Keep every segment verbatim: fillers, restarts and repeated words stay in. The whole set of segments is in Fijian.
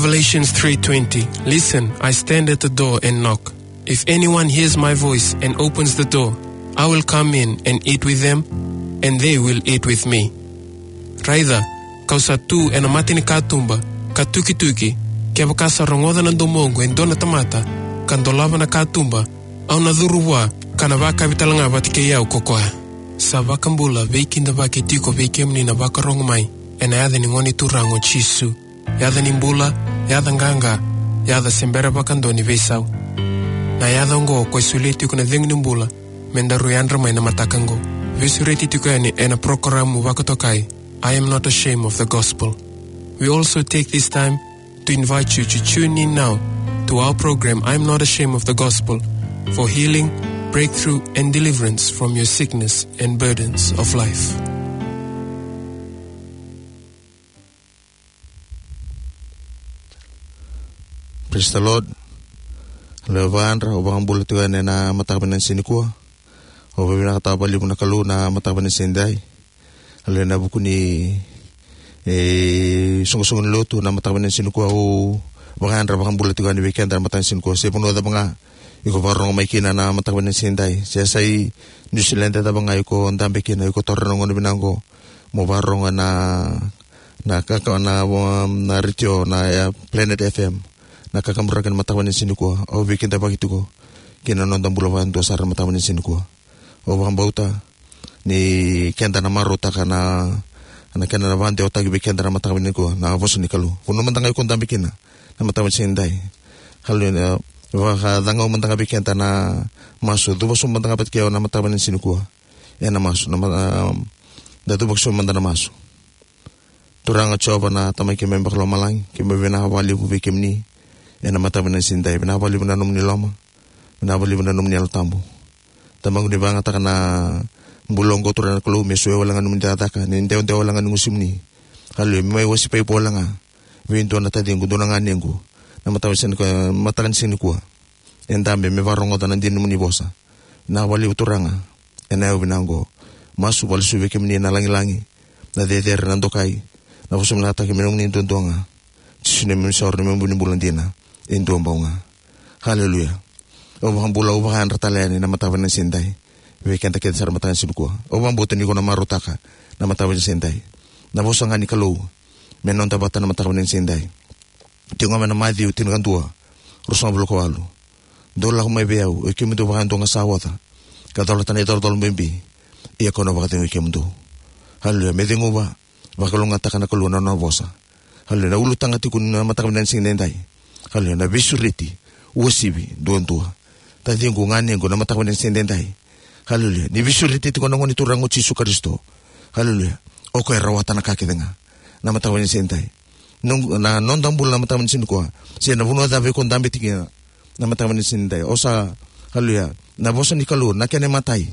Revelation three twenty. Listen, I stand at the door and knock. If anyone hears my voice and opens the door, I will come in and eat with them, and they will eat with me. Raica, kau sa tu ena mata ni katuba, ka tukituki, kevaka sa rogoca na domoqu e dua na tamata, ka dolava na katuba, au na curu vua, ka na vakavi talega vata kei au ko koya. Sa vakabula, veikidavaki tiko vei kemuni na vakarogo mai, ena yaca ni Gone Turaga o Jisu. Yaca ni bula, yaca qaqa, yaca se bera vakadua ni veisau. Na yaca oqo ko e solia tiko na cegu ni bula, me daru yadra mai na mataka oqo. Veisureti tiko yani ena porokaramu vakatokai, I Am Not Ashamed of the Gospel. We also take this time to invite you to tune in now to our program, I Am Not Ashamed of the Gospel, for healing, breakthrough, and deliverance from your sickness and burdens of life. Praise the Lord. Lewa vakayadra, au vakabula tiko yani ena mataka vinaka ni siga nikua. Au vakavinavinakataka vakalevu na Kalou na mataka vinaka ni siga nidai. Lewa ena vuku ni, e, soqosoqo ni lotu na mataka vinaka ni siga nikua, au vakayadra vakabula tiko yani vei keda na mataka ni siga nikua. Se vanua cava ga iko vakarorogo mai kina na mataka vinaka ni siga nidai. Se sa i New Zealand cava ga iko dabe kina, iko taura na gauna vinaka oqo mo vakarorogo na, na kaka, na, um, na retio, na, e, Planet F M. Na kakaburaki na mataka vinaka ni siga nikua. Au veikidavaki tiko kina noda bula vakadua sara na mataka vinaka ni siga nikua. Au vakabauta ni keda na marautaka na, na kena na vakadewataki vei keda na mataka vinaka nikua, na vosa ni Kalou. Vanua mada ga iko dabe kina na mataka vinaka ni siga nidai. Kalou na vakacagau mada ga vei keda na masu, cuva sobu mada ga vata kei au na mataka vinaka ni siga nikua. Ena masu, na ma-, um, da cuva sobu mada na masu. Turaga Jiova na Tamai keimami vakalomalagi, keimami vinaka vakalevu vei kemuni ena mataka vinaka ni siga nidai. Vinaka vakalevu na nomuni loma, vinaka vakalevu na nomuni Yalo Tabu. Tamaqu, ni vakayagataka na bula oqo, Turaga na Kalou, me solia wale ga nomuni cakacaka, ni dewadewa wale ga ni gusimuni. Haleluya, me mai wasipai wale ga vei dua na taciqu, dua na ganequ, na mataka vinaka ni siga nikua, mataka ni siga nikua. E dabe me vakarogoca na dina ni nomuni vosa. Vinaka vakalevu Turaga ena yakavi vinaka oqo. Masu vakalesuya vei kemuni na lagilagi, na cecere, na dokai, na vosa vinakataki me nomuni duadua ga. Jisu na neimami isoro, neimami vu ni bula dina e dua bau ga. Haleluya. Au vakabula, au vakayadra tale yani na mataka vinaka ni siga nidai vei keda kece sara na mataka ni siga nikua. Au vakabauta ni ko na marautaka na mataka vinaka ni siga nidai. Na vosa ga ni Kalou me noda vata na mataka vinaka ni siga nidai. Tiko ga mai na Maciu tinikadua, ruasagavulu ka walu. Dou lako mai vei au, oi kemudou vakayadua ga sa oca ka colata na icolacola bibi, ia kau na vakacegui kemudou. Haleluya. Me ceguva, vakalougatataka na Kalou na nona vosa. Haleluya. Na ulutaga tiko ni mataka vinaka ni siga nidai, haleluya, na veisureti uasivi duadua. Taciqu, ganequ, na mataka vinaka ni siga nidai, haleluya, ni veisureti tiko na Gone Turaga o Jisu Karisito. Haleluya. O koya e rawata na ka kece ga na mataka vinaka ni siga nidai. Noqu, na noda bula na mataka vinaka ni siga nikua, se na vanua cava iko dabe tiko kina na mataka vinaka ni siga nidai, o sa, haleluya, na vosa ni Kalou, na kena imatai,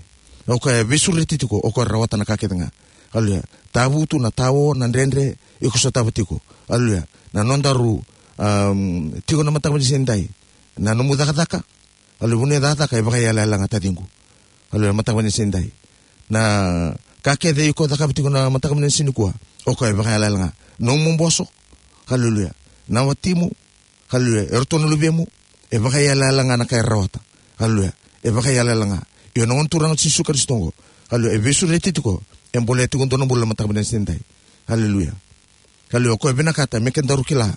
o koya e veisureti tiko, o koya e rawata na ka kece ga. Haleluya. Tavutu, na tao, na dredre iko sotava tiko, haleluya, na nodaru, um, tiko na mataka vinaka ni siga nidai, na nomu cakacaka. Haleluya. Vanua e cakacaka e vakaiyalayala ga, taciqu. Haleluya. Mataka vinaka ni siga nidai, na ka kece iko cakava tiko na mataka vinaka ni siga nikua, o koya e vakaiyalayala ga. Nomu boso, haleluya, na watimu, haleluya, eratou na luvemu, e vakaiyalayala ga na ka era rawata. Haleluya. E vakaiyalayala ga. Io, na Gone Turaga o Jisu Karisito oqo, haleluya, e veisureti tiko, e bolea tiko dua na bula na mataka vinaka ni siga nidai. Haleluya. Haleluya. O koya e vinakata me kedaru kila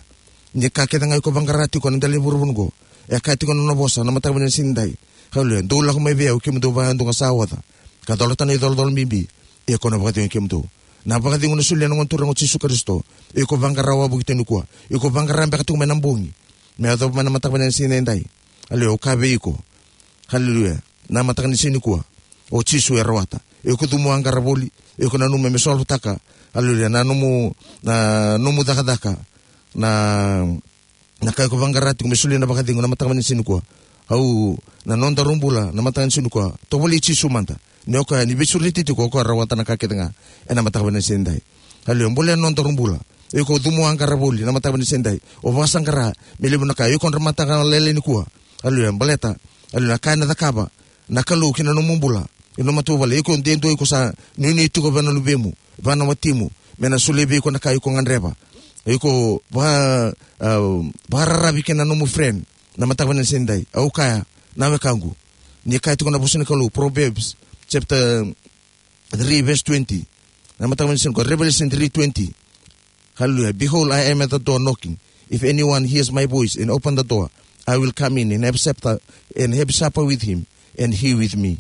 ni ka kece ga iko vaqara tiko ena dela ni vuravura oqo, e kaya tiko na nona vosa na mataka vinaka ni siga nidai. Haleluya. Dou lako mai vei au, kemudou vakayadua ga sa oca ka colata na icolacola bibi, ia kau na vakacegui kemudou. Na vakacegu na solia na Gone Turaga o Jisu Karisito. Iko vaqara wavoki tu nikua, iko vaqara beka tiko mai na bogi me yacova mai na mataka vinaka ni siga nidai. Haleluya. Au kaya vei iko, haleluya, na mataka ni siga nikua, o Jisu e rawata. Iko cumu a qara voli, iko nanuma me solvotaka, haleluya, na nomu, na nomu cakacaka, na, na ka iko vaqara tiko me solia na vakacegu na mataka vinaka ni siga nikua. Au, na nodaru bula na mataka ni siga nikua, tovolei Jisu mada. Ni o koya, ni veisureti tiko, o koya e rawata na ka kece ga ena mataka vinaka ni siga nidai. Haleluya. Bolea na nodaru bula. Iko cumu a qara voli na mataka vinaka ni siga nidai, o vakasaqara me levu na ka, iko dramataka lailai nikua. Haleluya. Baleta, haleluya, na ka ena cakava na Kalou ki na nomu bula, ena nomu matavuvale, iko de dua iko sa nuinui tiko vua na luvemu, vua na watimu, me na solia vei iko na ka iko gadreva. Iko va, ah, vakararavi kei na nomu friend. Na mataka vinaka ni siga nidai. Au kaya, na wekaqu. Ni kaya tiko na vosa ni Kalou, Proverbs chapter three verse twenty. Na mataka vinaka ni siga nikua, Revelation three twenty. Hallelujah. Behold, I am at the door knocking. If anyone hears my voice and open the door, I will come in and have supper, and have supper with him, and he with me.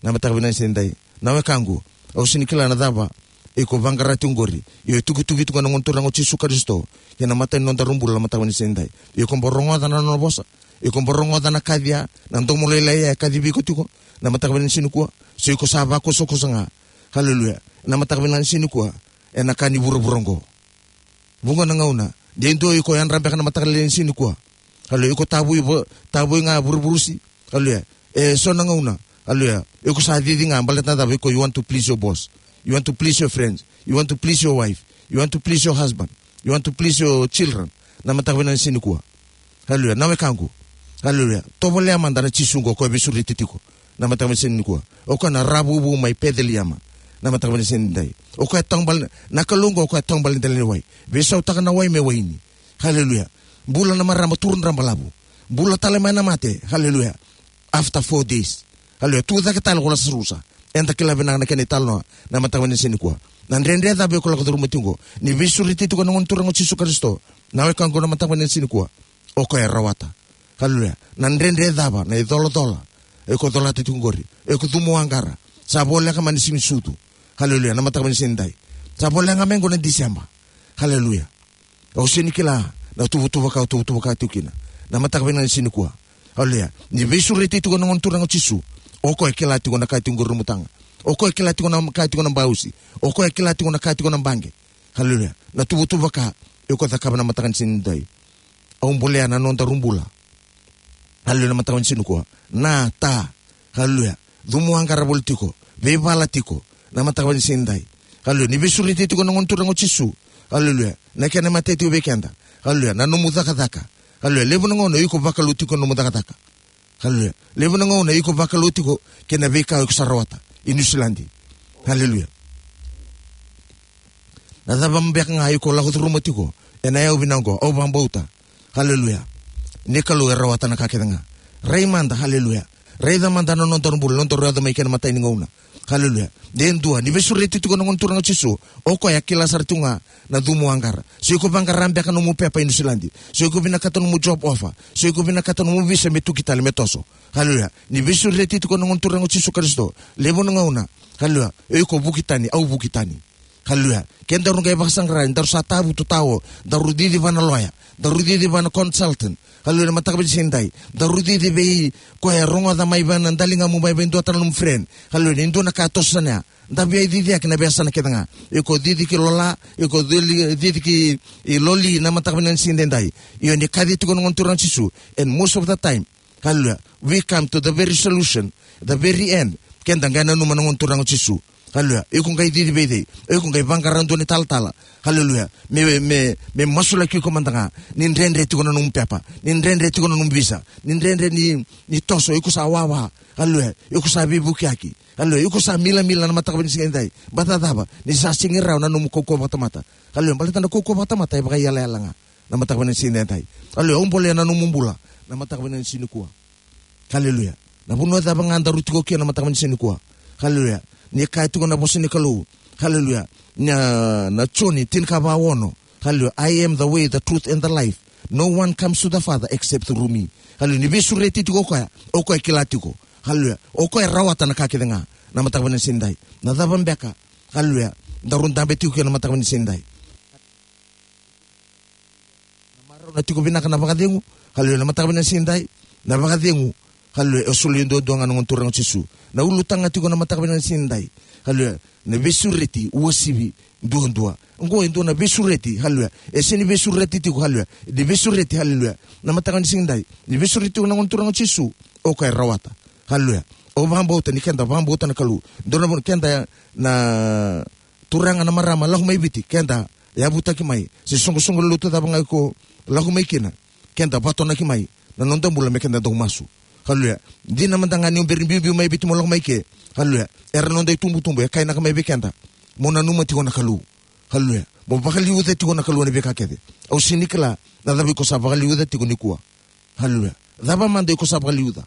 Na mataka vinaka ni siga nidai. Na wekaqu, au sega ni kila na cava iko vaqara tiko qori. Io, e tukituki tiko na Gone Turaga o Jisu Karisito kei na mata ni nodaru bula na mataka vinaka ni siga nidai. Iko bau rogoca na nona vosa. Iko bau rogoca na kaci ya, na domo lailai ya e kacivi iko tiko na mataka vinaka ni siga nikua. Se iko sa vakosakosa ga. Hallelujah. Na mataka vinaka ni siga nikua, ena ka ni vuravura oqo. Vuqa na gauna, de dua iko yadra beka na mataka lailai ni siga nikua. Hallelujah. Iko tavoi vo-, tavoi ga vuruvurusi. Hallelujah. E so na gauna. Hallelujah. Iko sa cici ga baleta na cava? Iko, you want to please your boss. You want to please your friends. You want to please your wife. You want to please your husband. You want to please your children. Na mataka vinaka ni siga nikua. Hallelujah. Na wekaqu. Hallelujah. Tovolea mada na Jisu qo, o koya e veisureti tiko na mataka vinaka ni siga nikua. O koya na Ravuvu mai Peceliema na mataka vinaka ni siga nidai. O koya e taubale, na Kalou qo, o koya e taubale dela ni wai. Veisautaka na wai me waini. Hallelujah. Bula na marama, turu drabalavu. Bula tale mai na mate. Hallelujah. After four days. Hallelujah. Tu cake tale ko Lasarusa. Eda kila vinaka na kena italanoa na mataka vinaka ni siga nikua. Na dredre cava iko lako curuma tiko qo? Ni veisureti tiko na Gone Turaga o Jisu Karisito, na wekaqu, na mataka vinaka ni siga nikua, o koya e rawata. Hallelujah. Na dredre cava, na icolacola iko colata tiko qori, iko cumu aqara, sa voleka mai na Siga ni Sucu. Hallelujah. Na mataka vinaka ni siga nidai. Sa voleka mai qo na December. Hallelujah. Au sega ni kila na tuvatuva ka, tuvatuva ka tiko kina na mataka vinaka ni siga nikua. Hallelujah. Ni veisureti tiko na Gone Turaga o Jisu, o koya e kila tiko na ka tiko qori na mutaga. O koya e kila tiko na ka tiko na bausi. O koya e kila tiko na ka tiko na baqe. Hallelujah. Na tuvatuva ka iko cakava na mataka ni siga nidai. Au bolea na nodaru bula. Hallelujah, na mataka vinaka ni siga nikua. Na ta. Hallelujah. Cumu aqara voli tiko. Veivala tiko na mataka vinaka ni siga nidai. Hallelujah. Ni veisureti tiko na Gone Turaga o Jisu. Hallelujah. Na kena imatai tiko vei keda. Hallelujah. Na nomu cakacaka. Hallelujah. Levu na gauna iko vakalou tiko na nomu cakacaka. Hallelujah. Levu na gauna iko vakalou tiko kei na veika iko sa rawata i Niusiladi. Hallelujah. Na cava beka ga iko lako curuma tiko ena yakavi vinaka oqo, au vakabauta. Hallelujah. Ni Kalou e rawata na ka kece ga. Rai mada, hallelujah. Raica mada na nodaru bula, nodaru yaco mai kei na imatai ni gauna. Hallelujah. De dua, ni veisureti tiko na Gone Turaga o Jisu, o koya e kila sara tiko ga na cumu aqara. Se iko vaqara beka nomu pepa i Niusiladi. Se iko vinakata nomu job offer. Se iko vinakata nomu visa me tuki tale, me toso. Hallelujah. Ni veisureti tiko na Gone Turaga o Jisu Karisito, levu na gauna. Hallelujah. Iko vuki tani, au vuki tani. Hallelujah. Kedaru qai vakasaqara, daru sa tavutu tao, daru cici vua na loya, daru cici vua na consultant. Hallelujah, na mataka vinaka ni siga nidai. Daru cici vei koya e rogoca mai vua na daligamu, mai vei dua tale na nomu friend. Hallelujah, ni dua na ka e toso sara ya. Da via cici eke na veiyasana kece ga. Iko cici ki Lola, iko cici, cici ki, i Loli na mataka vinaka ni siga nidai. Io, ni kaci tiko na Gone Turaga o Jisu. And most of the time, hallelujah. We come to the very solution, the very end. Keda qai nanuma na Gone Turaga o Jisu. Hallelujah. Iko qai cici vei cei? Iko qai vaqara dua na italatala. Hallelujah. Me, me, me masulaki iko mada ga. Ni dredre tiko na nomu pepa. Ni dredre tiko na nomu visa. Ni dredre ni, ni toso. Iko sa wawa. Hallelujah. Iko sa veivukiyaki. Hallelujah. Iko sa milamila na mataka vinaka ni siga nidai. Baleta na cava? Ni sa sega ni rawa na nomu kaukauwa vakatamata. Hallelujah. Baleta na kaukauwa vakatamata e vakaiyalayala ga. Na mataka vinaka ni siga nidai. Hallelujah. Au bolea na nomu bula na mataka vinaka ni siga nikua. Hallelujah. Na vanua cava ga daru tiko kina na mataka vinaka ni siga nikua. Hallelujah. Ni kaya tiko na vosa ni Kalou. Hallelujah. Na, na Joni tinikava ono. Hallelujah. I am the way, the truth, and the life. No one comes to the Father except through me. Hallelujah. Ni veisureti tiko o koya, o koya e kila tiko. Hallelujah. O koya e rawata na ka kece ga na mataka vinaka ni siga nidai. Na cava beka? Hallelujah. Daru dabe tiko kina na mataka vinaka ni siga nidai. Na marau na tiko vinaka na vakacegu. Hallelujah. Na mataka vinaka ni siga nidai. Na vakacegu. Hallelujah. E solia duadua ga na Gone Turaga o Jisu. Na ulutaga tiko na mataka vinaka ni siga nidai. Hallelujah. Na veisureti uasivi duadua. Oqo e dua na veisureti. Hallelujah. E sega ni veisureti tiko. Hallelujah. Ni veisureti. Hallelujah. Na mataka ni siga nidai. Ni veisureti tiko na Gone Turaga o Jisu. O koya e rawata. Hallelujah. Au vakabauta ni keda vakabauta na Kalou. Dua na vanua keda na turaga, na marama lako mai Viti, keda yavutaki mai, se soqosoqo lotu cava ga iko lako mai kina, keda vatonaki mai na noda bula me keda dau masu. Hallelujah. Dina mada ga ni o bera ni biubiu mai Viti mo lako mai ke. Hallelujah. Era noda itubutubu e kainaka mai vei keda, mo nanuma tiko na Kalou. Hallelujah. O vakaliuca tiko na Kalou ena veika kece. Au sega ni kila na cava iko sa vakaliuca tiko nikua. Haleluya. Cava mada iko sa vakaliuca.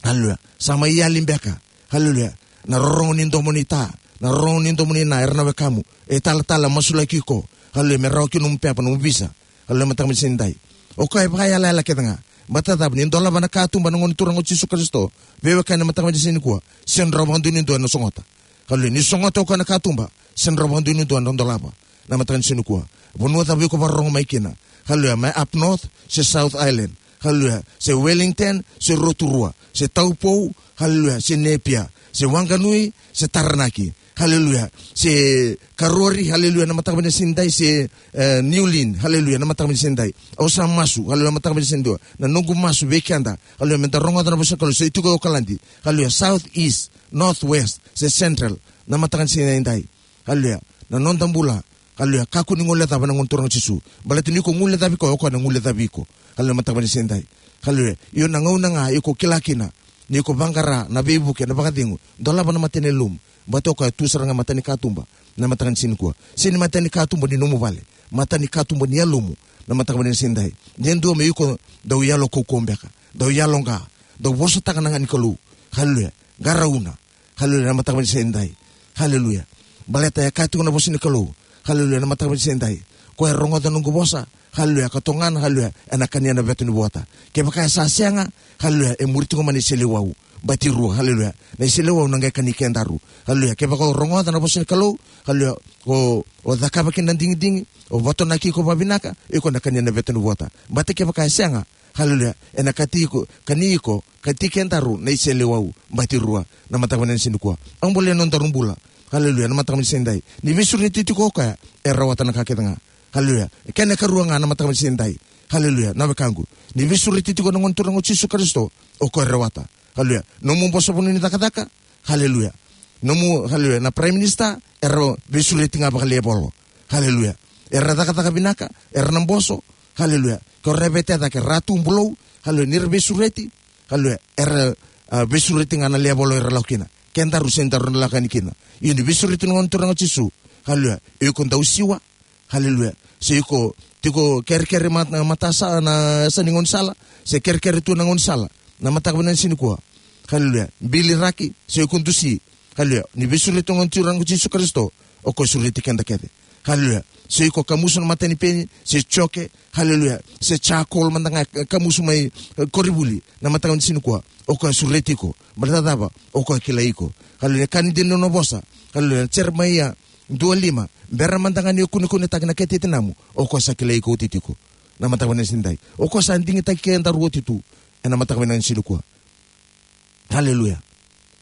Haleluya. Sa mai yali beka. Haleluya. Na rorogo ni domo ni ta, na rorogo ni domo ni na, era na wekamu. E talatala, masulaki iko. Haleluya. Me rawa kina nomu pepa, nomu visa. Haleluya, mataka vinaka ni siga nidai. O koya e vakayalayala kece ga. Baleta cava? Ni dolava na katuba na Gone Turaga o Jisu Karisito. Veiwekani, na mataka vinaka ni siga nikua, sega ni rawa vakadua ni dua ena sogota. Haleluya. Ni sogota o koya na katuba, sega ni rawa vakadua ni dua ena dolava. Na mataka ni siga nikua, vanua cava iko vakarorogo mai kina. Haleluya. Mai up north se South Island. Haleluya. Se Wellington se Rotorua se Taupo. Haleluya. Se Napier se Wanganui se Taranaki. Haleluya. Se Karori. Haleluya, na mataka vinaka ni siga nidai. Se, eh, New Lynn. Haleluya, na mataka vinaka ni siga nidai. Au sa masu. Haleluya, na mataka vinaka ni siga nidai. Na noqu masu vei keda. Haleluya, meda rogoca na vosa ni Kalou. Se tiko e Okaladi. Haleluya. South, east, north, west se central, na mataka vinaka ni siga nidai. Haleluya. Na noda bula. Haleluya. Kakua ni guilecava na Gone Turaga o Jisu. Baleta ni ko guilecavi koya, o koya na guilecavi iko. Haleluya, mataka vinaka ni siga nidai. Haleluya. Io, na gauna ga iko kila kina ni ko vaqara na veivuke, na vakacegu, dolava na mata ni yalomu. Baleta o koya tu sara ga mata ni katuba, na mataka ni siga nikua. Sega ni mata ni katuba ni nomu vale, mata ni katuba ni yalomu, na mataka vinaka ni siga nidai. De dua me iko dau yalo kaukauwa beka, dau yalo qa, dau vosataka na ga ni Kalou. Haleluya. Qarauna. Haleluya, na mataka vinaka ni siga nidai. Haleluya. Baleta e kaya tiko na vosa ni Kalou. Haleluya, na mataka vinaka ni siga nidai. Ko e rogoca na noqu vosa. Haleluya, ka togana. Haleluya, ena kania na veta ni vuata. Kevaka e sa sega, haleluya, e muri tiko mai na iseleiwau. Batirua. Haleluya. Na iseleiwau na qai kani kedaru. Haleluya. Kevaka o rogoca na vosa ni Kalou, haleluya, o, o cakava kina na digidigi, o vatonaki iko vavinaka, iko na kania na veta ni vuata. Baleta kevaka e sega, haleluya, ena kati iko, kani iko, kati kedaru na iseleiwau. Batirua, na mataka vinaka ni siga nikua. Au bolea na nodaru bula. Haleluya, na mataka vinaka ni siga nidai. Ni veisureti tiko o koya, e rawata na ka kece ga. Haleluya. Kena ikarua ga, na mataka vinaka ni siga nidai. Haleluya, na wekaqu. Ni veisureti tiko na Gone Turaga o Jisu Karisito, o koya e rawata. Haleluya. Nomu boso vanua ni cakacaka. Haleluya. Nomu, haleluya, na Prime Minister, era veisureti ga vakalevolo. Haleluya. Era cakacaka vinaka, era na boso. Haleluya. Ko ra vete cake, ra tu bulou. Haleluya. Ni ra veisureti. Haleluya. Era, a, veisureti ga na level era lako kina. Kedaru sega ni daru na lako yani kina. Io, ni veisureti na Gone Turaga o Jisu. Haleluya. Iko dau siwa. Haleluya. Se iko tiko kerekere mat-, matasa na yasa ni gaunisala, se kerekere tu na gaunisala, na mataka vinaka ni siga nikua. Haleluya. Biliraki, se iko dusi. Haleluya. Ni veisureti na Gone Turaga o Jisu Karisito, o koya sureti keda kece. Haleluya. Se iko kamusu na mata ni peni, se joke, haleluya, se charcoal mada ga, e, kamusu mai, e, koronivuli, na mataka vinaka ni siga nikua, o koya sureti iko. Baleta cava? O koya kilai iko. Haleluya. Ka ni dina na vosa. Haleluya. Jeremaia dua lima, bera mada ga ni o kunekunetaki na kete tinamu, o koya sa kilai iko oti tiko. Na mataka vinaka ni siga nidai. O koya sa digitaki kedaru oti tu ena mataka vinaka ni siga nikua. Haleluya.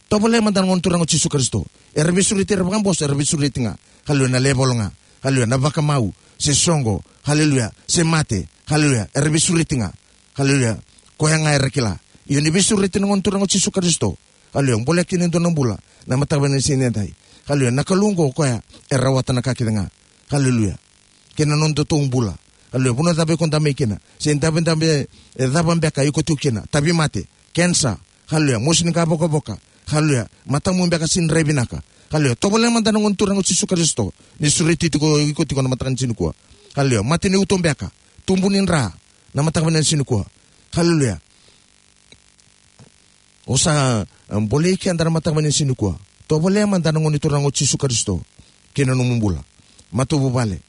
Tovolea mada na Gone Turaga o Jisu Karisito. Era veisureti, era vakaboso, era veisureti ga. Haleluya, na level ga. Haleluya, na vakamau, se soqo. Haleluya, se mate. Haleluya, era veisureti ga. Haleluya. Koya ga era kila. Io, ni veisureti na Gone Turaga o Jisu Karisito. Haleluya. Bolea kina e dua na bula na mataka vinaka ni siga nidai. Haleluya. Na Kalou oqo o koya e rawata na ka kece ga. Haleluya. Kei na nodatou bula. Haleluya. Vanua cava iko dabe kina, se dabedabe, e, cava beka iko tu kina, tauvimate, kenisa. Haleluya. Mosi ni qavokavoka. Haleluya. Matamu beka sega ni rai vinaka. Haleluya. Tovolea mada na Gone Turaga o Jisu Karisito, ni sureti tiko iko tiko na mataka ni siga nikua. Haleluya. Mate ni uto beka, tubu ni dra, na mataka vinaka ni siga nikua. Haleluya. O sa, e, bolei keda na mataka vinaka ni siga nikua. Tovolea mada na Gone Turaga o Jisu Karisito kei na nomu bula. Matavuvale,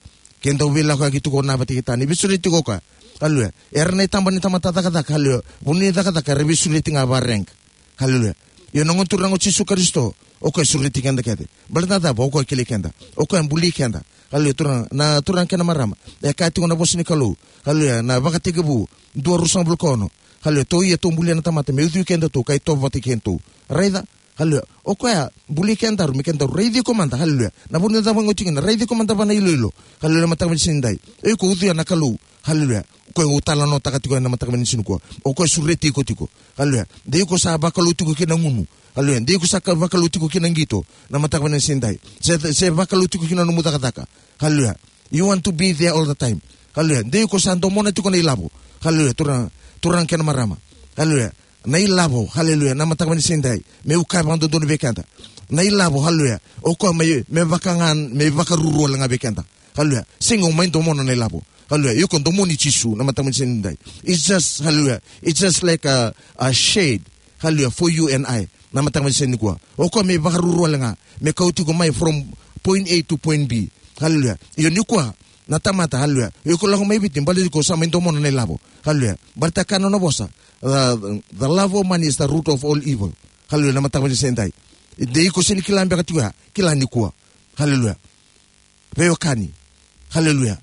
keda dau veilakoyaki tiko na vata kei ta, ni veisureti tiko o koya. Haleluya. Era na itaba ni tamata cakacaka. Haleluya. Vanua ni cakacaka era veisureti ga varenga. Haleluya. Io, na Gone Turaga o Jisu Karisito, o koya sureti keda kece. Baleta na cava? O koya kilai keda. O koya buli keda. Haleluya. Turaga, na turaga kei na marama, e kaya tiko na vosa ni Kalou. Haleluya. Na Vakatekivu dua, ruasagavulu ka ono. Haleluya. Tou ia, tou bulia na tamata me ucui kedatou ka itovo vata kei kedatou. Raica. Haleluya. O koya buli kedaru me kedaru raici iko mada. Haleluya. Na vanua cava ga o tiko kina, raici iko mada vua na iloilo. Haleluya. Mataka vinaka ni siga nidai. O iko ucuya na Kalou. Haleluya. O koya au talanoataka tiko ena mataka vinaka ni siga nikua. O koya sureti iko tiko. Haleluya. De iko sa vakalou tiko kina gunu. Haleluya. De iko sa ka-, vakalou tiko kina qito, na mataka vinaka ni siga nidai. Se, se vakalou tiko kina nomu cakacaka. Haleluya. You want to be there all the time. Haleluya. De iko sa domona tiko na ilavo. Haleluya. Turaga, turaga kei na marama. Haleluya. Na ilavo. Haleluya. Na mataka vinaka ni siga nidai, meu kaya vakadodonu vei keda. Na ilavo, haleluya. O koya mai, me vaka ga, me vakaruru wale ga vei keda. Haleluya. Sega ni o mai domona na ilavo. Haleluya. Iko domoni Jisu, na mataka ni siga nidai. It's just, haleluya. It's just like a, a shade. Haleluya. For you and I. Na mataka ni siga nikua. O koya me vakaruru wale ga. Me kauti iko mai from point A to point B. Haleluya. Io nikua. Na tamata, haleluya. Iko lako mai Viti, baleta iko sa mai domona na ilavo. Haleluya. Baleta ka na nona vosa. The, the love of money is the root of all evil. Haleluya. Na mataka ni siga nidai. De iko sega ni kila beka tiko ya. Kila nikua. Haleluya. Veiwekani. Haleluya.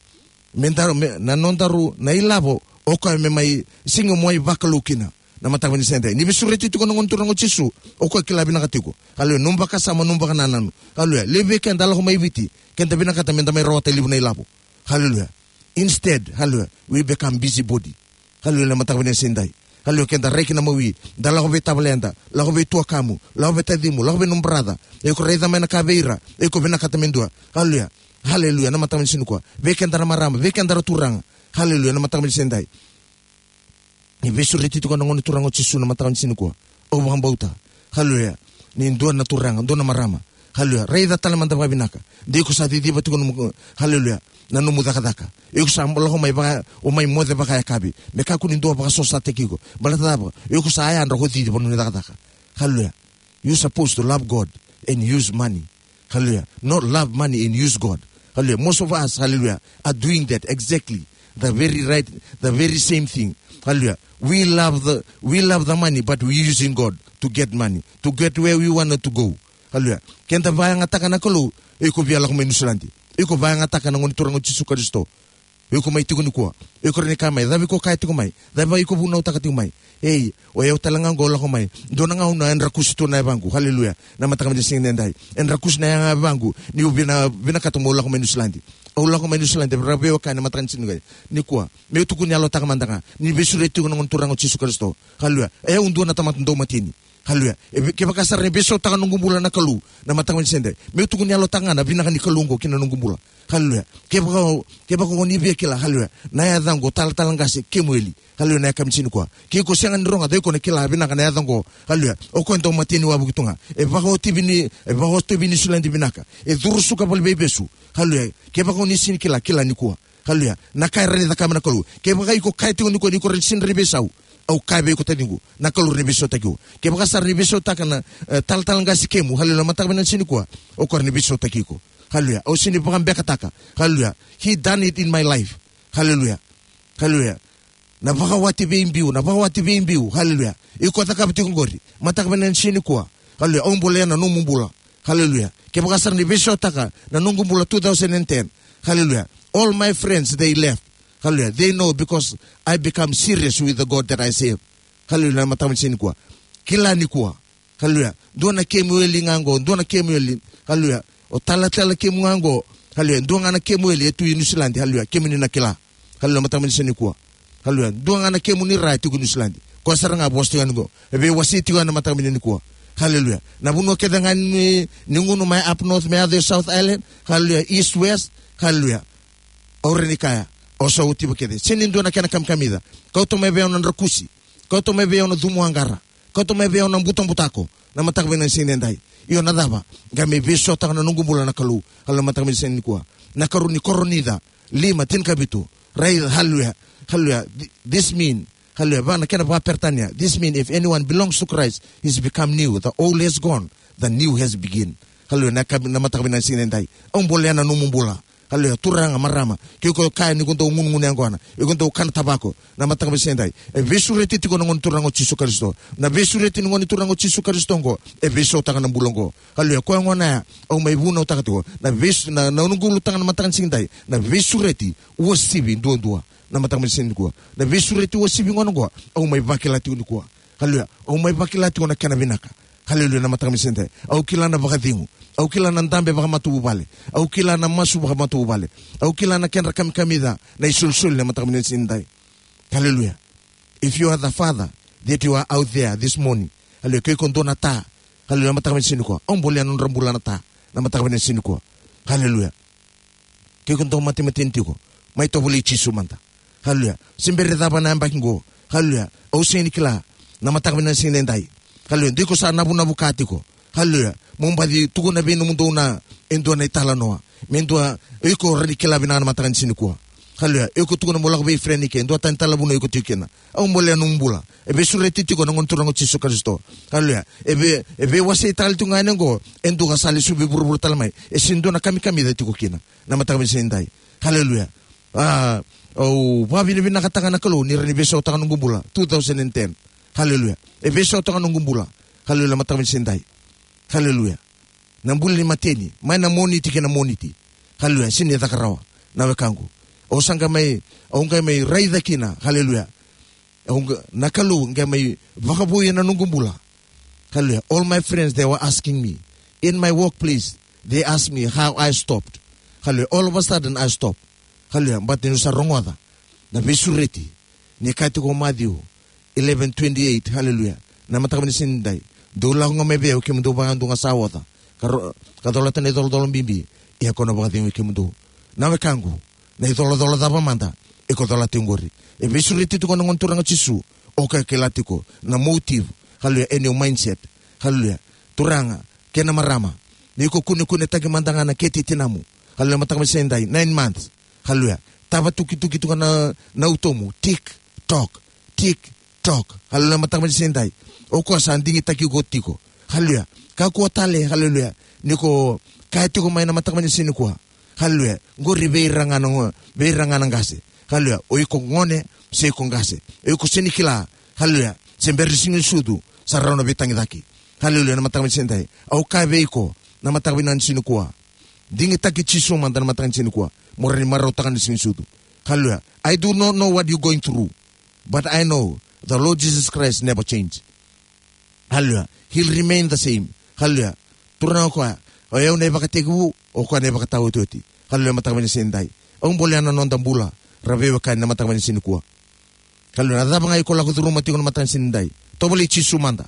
Me daru, me, na nodaru, na ilavo, o koya me mai, sega ni mai vakalou kina. Na mataka ni siga nidai. Ni veisureti tiko na Gone Turaga o Jisu, o koya kila vinaka tiko. Haleluya. Nomu vakasama, nomu vakanananu. Haleluya. Levu vei keda lako mai Viti, keda vinakata meda mai rawata e levu na ilavo. Haleluya. Instead, haleluya, we become busybody. Haleluya, na mataka ni siga nidai. Haleluya, keda rai kina mawi, da lako vei tavaleda, lako vei tuakamu, lako vei tacimu, lako vei nomu brother. Iko raica mai na ka vei ira, iko vinakata me dua. Haleluya. Haleluya, na mataka ni siga nikua. Vei keda na marama, vei keda na turaga. Haleluya, na mataka ni siga nidai. Ni veisureti tiko na Gone Turaga o Jisu na mataka ni siga nikua. Au vakabauta. Haleluya. Ni dua na turaga, dua na marama. Haleluya. Raica tale mada vakavinaka. De iko sa ciciva tiko nomu, haleluya, na nomu cakacaka. Iko sa lako mai vaka, o mai moce vakayakavi. Me kakua ni dua vakasosataki iko. Baleta cava? Iko sa yadra ko cici vanua ni cakacaka. Haleluya. You supposed to love God and use money. Hallelujah. Not love money and use God. Hallelujah. Most of us, hallelujah, are doing that exactly. The very right, the very same thing. Hallelujah. We love the, we love the money, but we using God to get money, to get where we wanted to go. Hallelujah. Keda vakayagataka na Kalou, iko via lako mai Niusiladi. Iko vakayagataka na Gone Turaga o Jisu Karisito. Iko mai tiko nikua. Iko rawa ni kaya mai, cava iko kaya tiko mai? Cava iko vunautaka tiko mai? Ei, o yau tale ga qo lako mai. Dua na gauna e drakusi tu na yavaqu. Haleluya. Na mataka ni siga nidai. E drakusi na yavaqu. Niu vina, vinakata meu lako mai Niusiladi. Au lako mai Niusiladi. Ra veiwekani na mataka ni siga nikua. Nikua. Meu tukuni yalotaka mada ga. Ni veisureti tiko na Gone Turaga o Jisu Karisito. Haleluya. E au dua na tamata dau mateni. Haleluya. E ve-, kevaka sara ni veisautaka noqu bula na Kalou, na mataka ni siga nidai. Meu tukuni yalotaka ga na vinaka ni Kalou oqo ki na noqu bula. Haleluya. Kevaka o, kevaka o ni via kila, haleluya, na yacaqu o Talatala Qase Kemueli. Haleluya, na yakavi ni siga nikua. Ke iko sega ni rogoca, iko na kila vinaka na yacaqu. Haleluya. O koya dau mateni wavoki tu ga. E vakaotivi ni, e vakaotivi ni Niusiladi vinaka. E curu suka valeniveivesu. Haleluya. Kevaka o ni sega ni kila, kila nikua. Haleluya. Na ka e rawa ni cakava na Kalou. Kevaka iko kaya tiko nikua ni iko rawa ni sega ni veisau. Au kaya vei iko taciqu. Na Kalou rawa ni veisautaki iko. Kevaka sara ni veisautaka na, e, Talatala Qase Kemu. Haleluya. Mataka vinaka ni siga nikua. O koya rawa ni veisautaki iko. Haleluya. Au sega ni vakabekataka. Haleluya. He done it in my life. Haleluya. Haleluya. Na vakawati veibiu, na vakawati veibiu. Haleluya. Iko cakava tiko qori. Mataka vinaka ni siga nikua. Haleluya. Au bolea na nomu bula. Haleluya. Kevaka sara ni veisautaka na noqu bula two thousand and ten. Haleluya. All my friends, they left. Haleluya. They know because I become serious with the God that I serve. Haleluya. Na mataka ni siga nikua. Kila nikua. Haleluya. Dua na Kemueli ga qo, dua na Kemueli. Haleluya. O Talatala Kemu ga qo. Haleluya. Dua ga na Kemueli e tu i Niusiladi. Haleluya. Kemuni na kila. Haleluya. Mataka ni siga nikua. Haleluya. Dua ga na Kemu ni ra e tiko i Niusiladi. Koya sara ga vosa tiko yani qo. E veiwasei tiko yani na mataka ni siga nikua. Haleluya. Na vanua kece ga ni, ni gunu mai up north, mai yaco i South Island. Haleluya. East, west. Haleluya. Au rawa ni kaya. Au sa otiva kece. Sega ni dua na kena kamikamica. Kauta mai vei au na drakusi. Kauta mai vei au na cumu aqara. Kauta mai vei au na butabutako. Na mataka vinaka ni siga nidai. Io na cava? Qai mai veisautaka na noqu bula na Kalou. Haleluya, mataka vinaka ni siga nikua. Na karua ni Korinica. Lima, tinikavitu. Raica, haleluya. Haleluya. Th-, this mean. Haleluya. Va na kena vakaperitania. This mean if anyone belongs to Christ, he's become new. The old has gone. The new has begun. Haleluya. Na ka-, na mataka vinaka ni siga nidai. Au bolea na nomu bula. Haleluya, turaga, marama. Ke iko kaya ni ko dau gunugunu yaqona. Iko dau kana tavako. Na mataka vinaka ni siga nidai. E veisureti tiko na Gone Turaga o Jisu Karisito. Na veisureti ni Gone Turaga o Jisu Karisito oqo. E veisautaka na bula oqo. Haleluya, koya gona ya. Au mai vunautaka tiko. Na veis-, na, na noqu ulutaga na mataka ni siga nidai. Na veisureti uasivi duadua. Na mataka vinaka ni siga nikua. Na veisureti uasivi gona oqo. Au mai vakila tiko nikua. Haleluya. Au mai vakila tiko na kena vinaka. Haleluya, na mataka vinaka ni siga nidai. Au kila na vakacegu. Au kila na dabe vakamatavuvale. Au kila na masu vakamatavuvale. Au kila na kedra kamikamica. Na isolisoli na mataka vinaka ni siga nidai. Haleluya. If you are the father that you are out there this morning. Haleluya. Ke iko dua na ta. Haleluya, na mataka vinaka ni siga nikua. Au bolea na nodra bula na ta. Na mataka vinaka ni siga nikua. Haleluya. Ke iko dau matemateni tiko, mai tovolei Jisu mada. Haleluya. Se bera ni cava na yabaki qo. Haleluya. Au sega ni kila. Na mataka vinaka ni siga nidai. Haleluya. De iko sa navunavuka tiko. Haleluya. Mo baci tukuna vei nomudou na, e dua na italanoa. Me dua, o iko rawa ni kila vinaka na mataka ni siga nikua. Haleluya. O iko tukuna mo lako vei friend ike, e dua tani tala vuna o iko tiko kina. Au bolea nomu bula. E veisureti tiko na Gone Turaga o Jisu Karisito. Haleluya. E vei, e veiwasei tale tiko ga yani oqo, e dua ka sa lesu vei vuravura tale mai. E sega ni dua na kamikamica tiko kina. Na mataka ni siga nidai. Haleluya. A, au vakavinavinakataka na Kalou ni rawa ni veisautaka noqu bula. Two thousand and ten. Haleluya. E veisautaka noqu bula. Haleluya, mataka ni siga nidai. Haleluya. Na bula ni mateni, mai na Moniti kei na Moniti. Haleluya, sega ni caka rawa. Na wekaqu. Au sa qai mai, au qai mai raica kina. Haleluya. Au qai, na Kalou qai mai vakavouya na noqu bula. Haleluya. All my friends, they were asking me. In my workplace, they asked me how I stopped. Haleluya. All of a sudden, I stopped. Haleluya. But niu sa rogoca na veisureti. Ni kaya tiko o Maciu eleven twenty-eight, haleluya. Na mataka ni siga nidai. Dou lako ga mai vei au kemudou vakayadua ga sa oca. Ka ro-, ka colata na icolacola bibi. Ia kau na vakacegui kemudou. Na wekaqu. Na icolacola cava mada. Iko colata oqori. E veisureti tiko na Gone Turaga o Jisu. O koya kila tiko. Na motive. Haleluya. And your mindset. Haleluya. Turaga. Kei na marama. Ni ko kunekunetaki mada ga na kete i tinamu. Haleluya, mataka ni siga nidai. Nine months. Haleluya. Tava tukituki tu ga na, na utomu. Tick, tock. Tick, tock. Haleluya, mataka ni siga nidai. O koya sa digitaki iko tiko. Haleluya. Kakua tale, haleluya. Ni ko kaya tiko mai na mataka ni siga nikua. Haleluya. Qori vei ira ga na go-, vei ira ga na qase. Haleluya. O iko gone, se iko qase. O iko sega ni kila. Haleluya. Se bera ni siga ni sucu. Sa rawa na veitagicaki. Haleluya, na mataka ni siga nidai. Au kaya vei iko, na mataka ni siga nikua. Digitaki Jisu mada na mataka ni siga nikua. Mo rawa ni marautaka na siga ni sucu. Haleluya. I do not know what you're going through. But I know the Lord Jesus Christ never change. Haleluya. He'll remain the same. Haleluya. Turaga o koya. O yau na ivakatekivu, o koya na ivakataotioti. Haleluya, mataka ni siga nidai. Au bolea na noda bula. Ra veiwekani na mataka ni siga nikua. Haleluya. Na cava ga iko lako curuma tiko na mataka ni siga nidai. Tovolei Jisu mada.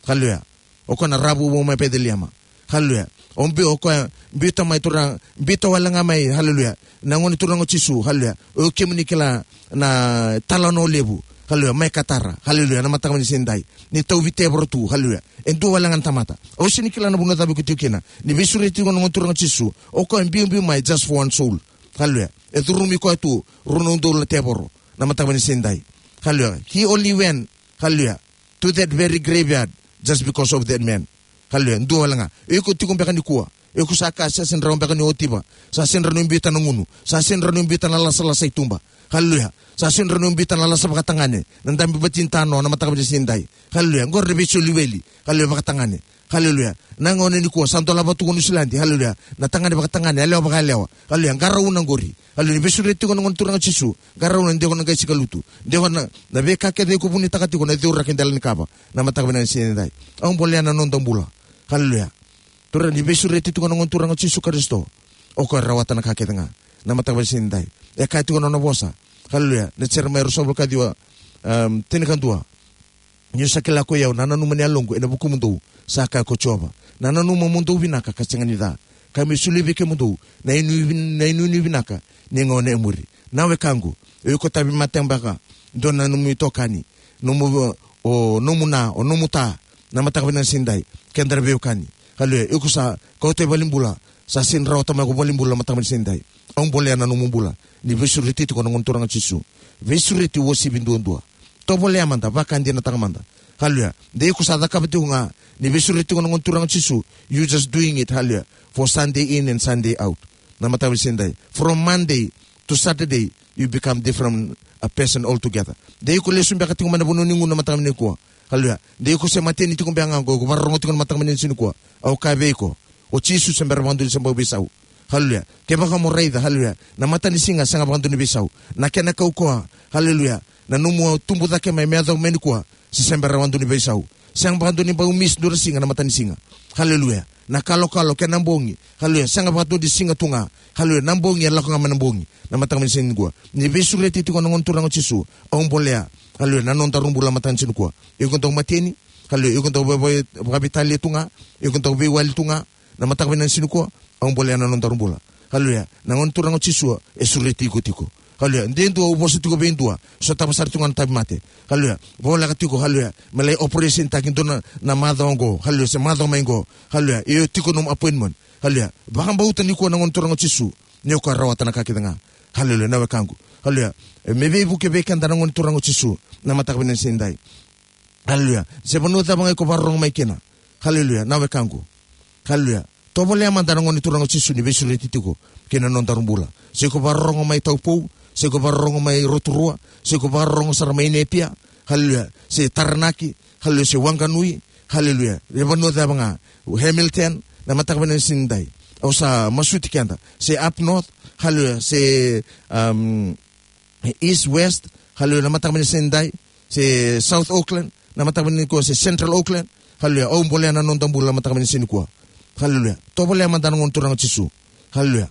Haleluya. O koya na rawa vou mai Peceliema. Haleluya. O biu, o koya biuta mai Turaga, biuta wale ga mai. Haleluya. Na Gone Turaga o Jisu. Haleluya. O kemuni kila na italanoa levu. Haleluya. Mai Katara. Haleluya. Na mataka ni siga nidai. Ni tauvi tevoro tu. Haleluya. E dua wale ga na tamata. Au sega ni kila na vanua cava iko tiko kina. Ni veisureti tiko na Gone Turaga o Jisu. O koya biubiu mai just for one soul. Haleluya. E curumi koya tu. Rua na udolu na tevoro. Na mataka ni siga nidai. Haleluya. He only went. Haleluya. To that very graveyard just because of that man. Haleluya. Dua wale ga. Iko tiko beka nikua. Iko sa kaya sa sega ni rawa beka ni otiva. Sa sega ni rawa ni biuta na gunu. Sa sega ni rawa ni biuta na lasalasa i tuba. Haleluya. Sa sega ni rawa ni biuta na lasa vakatagane. Na dabe batinitanoa na mataka ni siga nidai. Haleluya. Qori na veisoli weli. Haleluya, vakatagane. Haleluya. Na gauna nikua sa dolava tu ko Niusiladi. Haleluya. Na tagane vakatagane, yalewa vakayalewa. Haleluya. Qarauna qori. Haleluya. Ni veisureti tiko na Gone Turaga o Jisu. Qarauna, de ko na qai sikalutu. De ko na, na veika kece iko vunitaka tiko na ceuraki dela ni kava. Na mataka ni siga nidai. Au bolea na noda bula. Haleluya. Turaga, ni veisureti tiko na Gone Turaga o Jisu Karisito. O koya rawata na ka kece ga. Na mataka ni siga nidai. E kaya tiko na nona vosa. Haleluya. Na Jeremaia ruasagavulu ka ciwa, um, tinikadua. Niu sa kila ko i au, na nanuma ni yaloqu ena vukumudou, sa kaya ko Jiova. Na nanuma mo dou vinaka ka sega ni ca. Ka me solia vei kemudou na inuinui vin-, na inuinui vinaka ni gauna e muri. Na wekaqu, o iko tauvimate beka, dua na nomu itokani, nomu, o nomu na, o nomu ta, na mataka ni siga nidai, keda na veiwekani. Haleluya, iko sa kauta i valenibula, sa sega ni rawata mai ko valenibula na mataka ni siga nidai. Au bolea na nomu bula, ni veisureti tiko na Gone Turaga o Jisu. Veisureti uasivi duadua. Tovolea mada, vakadinataka mada. Haleluya. De iko sa cakava tiko ga, ni veisureti tiko na Gone Turaga o Jisu, you just doing it, haleluya, for Sunday in and Sunday out. Na mataka ni siga nidai. From Monday to Saturday, you become different, a person altogether. De iko lesu beka tiko mai na vanua ni gunu na mataka nikua. Haleluya. De iko se mateni tiko beka ga qo, iko vakarorogo tiko na mataka ni siga nikua. Au kaya vei iko. O Jisu se bera vakadua ni se bau veisau. Haleluya. Kevaka mo raica, haleluya, na matanisiga sega vakadua ni veisau. Na kena kaukauwa, haleluya, na nomu tubu cake mai me yacova mai nikua, se sega beka vakadua ni veisau. Sega vakadua ni bau miss dua na siga na matanisiga. Haleluya. Na kalokalo kei na bogi. Haleluya. Sega vakadua ni siga tu ga. Haleluya. Na bogi e lako ga mai na bogi. Na mataka ni siga nikua. Ni veisureti tiko na Gone Turaga o Jisu. Au bolea. Haleluya. Na nodaru bula mataka ni siga nikua. Iko dau mateni. Haleluya. Iko dau vei-, vei-, vakaveitalia tu ga. Iko dau veiwali tu ga. Na mataka vinaka ni siga nikua, au bolea na nodaru bula. Haleluya. Na Gone Turaga o Jisu e sureti iko tiko. Haleluya. De dua au vosa tiko vei dua, sotava sara tiko ga na tauvimate. Haleluya. Voleka tiko, haleluya, me lai operation taki dua na, na macawa oqo, haleluya, se macawa mai oqo. Haleluya. Io, tiko nomu appointment. Haleluya. Vakabauta nikua na Gone Turaga o Jisu, ni o koya rawata na ka kece ga. Haleluya, na wekaqu. Haleluya. E, me veivuke vei keda na Gone Turaga o Jisu na mataka vinaka ni siga nidai. Haleluya. Se vanua cava ga iko vakarorogo mai kina, haleluya, na wekaqu, haleluya, tovolea mada na Gone Turaga o Jisu ni veisureti tiko kina nodaru bula. Se iko vakarorogo mai Taupo, se iko vakarorogo mai Rotorua, se iko vakarorogo sara mai Napier, haleluya, se Taranaki, haleluya, se Wanganui, haleluya, e vanua cava ga, Hamilton, na mataka vinaka ni siga nidai. Au sa masuti keda, se up north, haleluya, se, um, East West, haleluya, na mataka vinaka ni siga nidai, se South Auckland na mataka vinaka nikua, se Central Auckland, haleluya, au bolea na noda bula na mataka vinaka ni siga nikua. Haleluya. Tovolea mada na Gone Turaga o Jisu. Haleluya.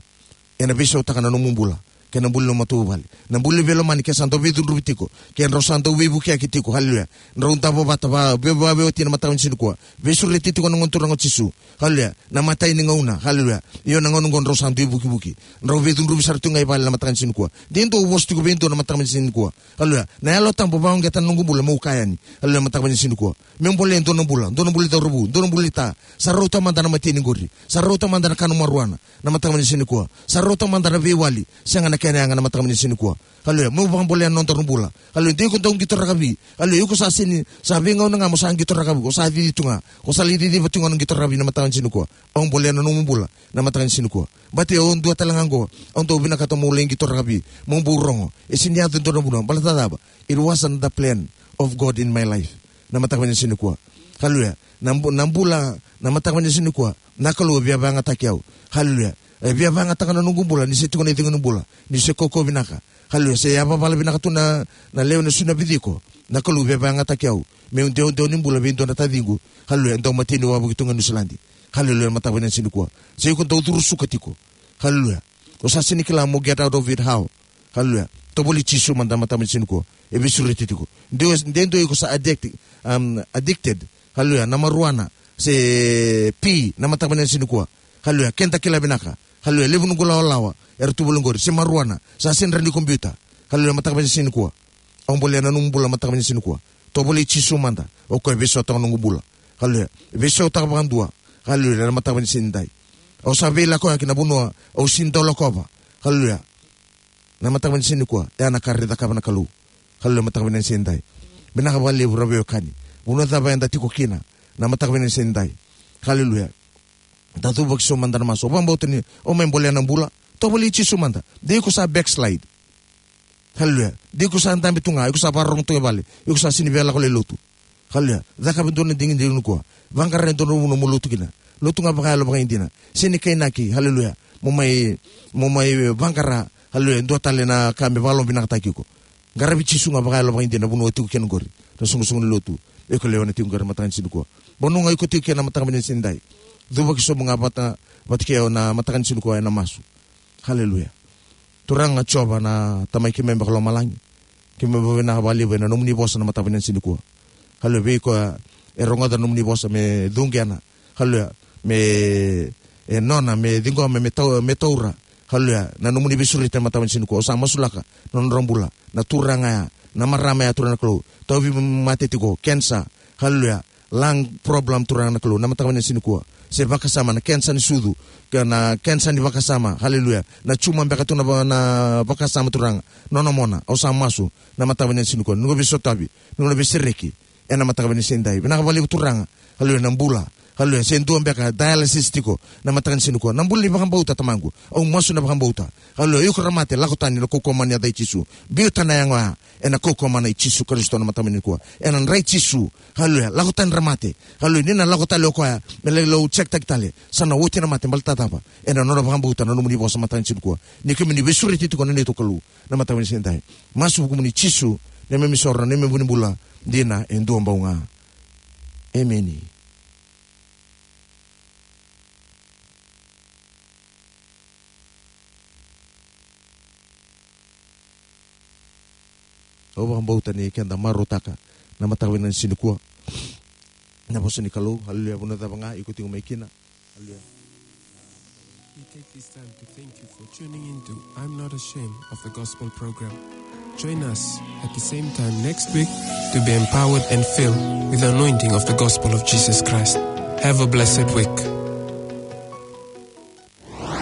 Ena veisautaka na nomu bula kei na bula ni matavuvale, na bula ni veilomani, ke sa dau veicudruvi tiko, ke drau sa dau veivukiyaki tiko, haleluya, drau davo vata, va, ve, va, veiwatini na mataka vinaka ni siga nikua. Veisureti tiko na Gone Turaga o Jisu. Haleluya. Na imatai ni gauna, haleluya, io, na gauna oqo drau sa dui vukivuki, drau veicudruvi sara tu ga i vale na mataka ni siga nikua. De dua au vosa tiko vei dua na mataka ni siga nikua. Haleluya. Na Yalo Tabu vakauqeta na noqu bula meu kaya yani, haleluya, mataka ni siga nikua. Meu bolea e dua na bula, dua na bula ni cauravou, dua na bula ni ta. Sa rauta mada na mateni qori, sa rauta mada na kanu marijuana na mataka ni siga nikua. Sa rauta mada na veiwali, sega na kena yaga na mataka ni siga nikua. Haleluya. Meu vakabolea na nodaru bula. Haleluya. De iko dau qito rakavi, haleluya, iko sa sega ni, sa veigauna ga mo sa qito rakavi, ko sa cici tu ga, ko sa lai ciciva tu ga na qito rakavi na mataka ni siga nikua. Au bolea na nomu bula na mataka ni siga nikua. Baleta o au dua tale ga oqo, au dau vinakata meu lai qito rakavi, meu bau rogo. E sega ni yaco e dua na vanua, baleta cava? It wasn't the plan of God in my life na mataka vinaka ni siga nikua. Haleluya. Na bu-, na bula na mataka vinaka ni siga nikua, na Kalou e via vakayagataki au. Haleluya. E via vakayagataka na noqu bula ni se tiko na icegu ni bula, ni se kaukauwa vinaka. Haleluya. Se yavavala vinaka tu na, na lewe ni sui na viciko. Na Kalou e via vakayagataki au meu dewadewa ni bula vei dua na taciqu, haleluya, e dau mateni wavoki tu ga e Niusiladi. Haleluya, mataka vinaka ni siga nikua. Se iko dau curu suka tiko, haleluya, o sa sega ni kila mo get out of it how. Haleluya. Tovolei Jisu mada na mataka vinaka ni siga nikua. E veisureti tiko. De, de dua iko sa addict, um, addicted, haleluya, na marijuana se pi na mataka vinaka ni siga nikua. Haleluya. Keda kila vinaka, haleluya, levu noqu lawalawa era tu voli qori, se marijuana, sa sega ni rawa ni ko biuta. Haleluya, mataka vinaka ni siga nikua. Au bolea na nomu bula mataka vinaka ni siga nikua. Tovolei Jisu mada, o koya e veisautaka na noqu bula. Haleluya. Veisautaka vakadua, haleluya, na mataka vinaka ni siga nidai. Au sa veilakoyaki na vanua au sega ni dau lakova. Haleluya. Na mataka vinaka ni siga nikua, e ya na ka e cakava na Kalou. Haleluya, mataka vinaka ni siga nidai. Vinaka vakalevu ra veiwekani, vanua cava eda tiko kina na mataka vinaka ni siga nidai. Haleluya. Da cuva ki so mada na masu. Au vakabauta ni o mai bolea na bula. Tovolei Jisu mada. De iko sa backslide. Haleluya. De iko sa dabe tu ga, iko sa vakarorogo tu ga e vale, iko sa sega ni via lako lai lotu. Haleluya. Cakava e dua na digidigi nikua. Vaqara e dua na vanua mo lotu kina. Lotu ga vakayalo vakaidina. Sega ni kainaki, haleluya, mo mai, mo mai vaqara, haleluya, e dua tale na ka me vakalomavinakataki iko. Qaravi Jisu ga vakayalo vakaidina na vanua o tiko kina qori, na soqosoqo ni lotu iko lewena tiko qori na mataka ni siga nikua. Vanua ga iko tiko kina na mataka vinaka ni siga nidai, cuvaki sobu ga vata, vata kei au na mataka ni siga nikua ena masu. Haleluya. Turaga Jiova na Tamai keimami vakalomalagi, keimami vakavinavinaka vakalevu ena nomuni vosa na mataka vinaka ni siga nikua. Haleluya. Vei koya e rogoca na nomuni vosa me cuqena, haleluya, me, e nona, me ciqoma, me tau-, me taura, haleluya, na nomuni veisureti na mataka vinaka ni siga nikua. Au sa masulaka na nodra bula na turaga ya, na marama ya, Turaga na Kalou, tauvimate tiko, kenisa, haleluya, lung problem, Turaga na Kalou, na mataka vinaka ni siga nikua. Se vakasama, na kenisa ni sucu, ke na kenisa ni vakasama, haleluya, na tuma beka tu na va-, na vakasama, Turaga, nona mona. Au sa masu na mataka vinaka ni siga nikua, ni ko veisotavi, ni ko na veisereki ena mataka vinaka ni siga nidai. Vinaka vakalevu Turaga. Haleluya, na bula. Haleluya, se dua beka dialysis tiko na mataka ni siga nikua, na bula ni vakabauta, Tamaqu. Au masu na vakabauta. Haleluya, iko ra mate, lako tani ena kaukauwa mana ni yaca i Jisu. Biuta na yago ya ena kaukauwa mana i Jisu Karisito na mataka vinaka nikua. Ena dra i Jisu. Haleluya, lako tani ra mate. Haleluya, ni na lako tale o koya me lai lau check taki tale, sa na oti na mate, baleta cava? Ena nona vakabauta na nomuni vosa mataka ni siga nikua. Ni kemuni veisureti tiko na neitou Kalou na mataka vinaka ni siga nidai. Masu vukumuni Jisu, neimami isoro, neimami vu ni bula dina e dua bau ga. Emeni. Au vakabauta ni keda marautaka na mataka vinaka ni siga nikua na vosa ni Kalou. Haleluya. Vanua cava ga iko tiko mai kina. Haleluya. We take this time to thank you for tuning in to I'm Not Ashamed of the Gospel program. Join us at the same time next week to be empowered and filled with the anointing of the gospel of Jesus Christ. Have a blessed week.